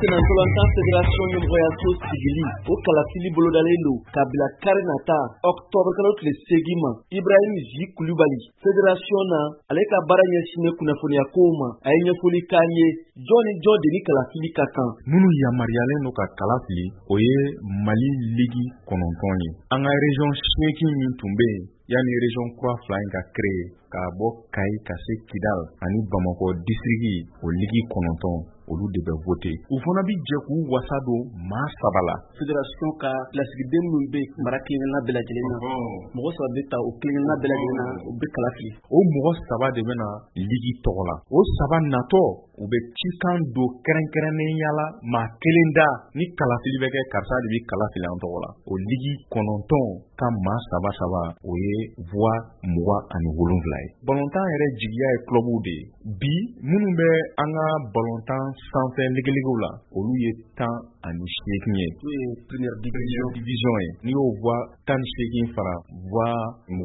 Sennantolatan Fédération ɲɛmɔgɔyaso sigili, o kalafili bolodalen don ka bila kari nata octobre kalo tile 8 ma. Ibrahim Zi Kulubali, fédération na, ale ka baara ɲɛsinnen kunnafoniya kow ma, a ye ɲɛfɔli k'an ye jɔn ni jɔn de ni kalafili ka kan. Minnu yamaruyalen don ka kala fili, o ye Mali ligue 9 ye. An ka région 8 min tun bɛ yen yanni région kura 2 in ka créer, k'a bɔ Kayi ka se Kidal ani Bamakɔ district, o ligue 9, olu de bɛ voter. U fana bi jɛ k'u wasa don maa 3 la. Fédération ka lasigiden minnu bɛ mara kelenkelenna bɛɛ lajɛlen na, mɔgɔ 3 bɛ ta o kelenkelenna bɛɛ lajɛlen na, u bɛ kala fili. O mɔgɔ 3 de bɛ na ligue tɔgɔ la. O 3 natɔ, u bɛ cikan don kɛrɛnkɛrɛnnenya la maa kelen da ni kalafili bɛ kɛ, karisa de bɛ kala fili an tɔgɔ la. O ligue 9 ka maa 3 3, o ye voix 27 ye. Balontan yɛrɛ jigiya ye clubw de ye. Bi minnu bɛ an ka balontan sanfɛ ligiligiw la, olu ye 18 ye. N'o ye première division. Division ye. N'i y'o voix 18 fara voix 27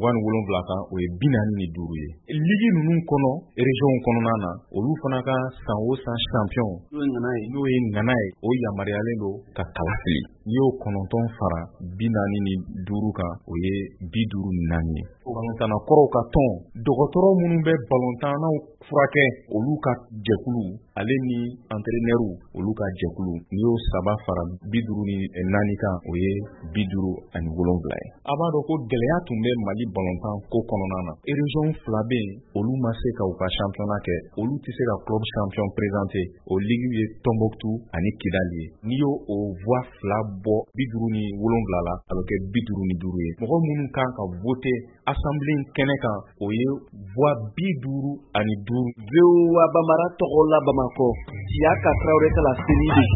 kan, o ye 45 ye. Ligue ninnu kɔnɔ, région kɔnɔna na, olu fana ka san o san champion, n'o ye ŋana ye, n'o ye ŋana ye, o yamaruyalen don ka kala fili. N'i y'o 9 fara 45 kan, o ye 54 ye. Balontanna kɔrɔw ka tɔn, dɔgɔtɔrɔ minnu bɛ balontannaw furakɛ, olu ka jɛkulu, ale ni entraîneur, olu ka jɛkulu, n'i y'o 3 fara 54 kan, o ye 57 ye. A b'a dɔn ko gɛlɛya tun bɛ Mali balontan ko kɔnɔna na. Région 2 bɛ yen, olu ma se ka u ka championnat kɛ, olu tɛ se ka club champion présenter. O ligue ye Tombouctou ani Kidal ye. N'i y'o o voix 2 bɔ 57 la, a bɛ kɛ 55 ye. Mɔgɔ minnu kan ka voter assemblée in kɛnɛ kan, o ye voix 55. VOA Bambara tɔgɔ la Bamakɔ, Siyaka Tarawele ka laseli don.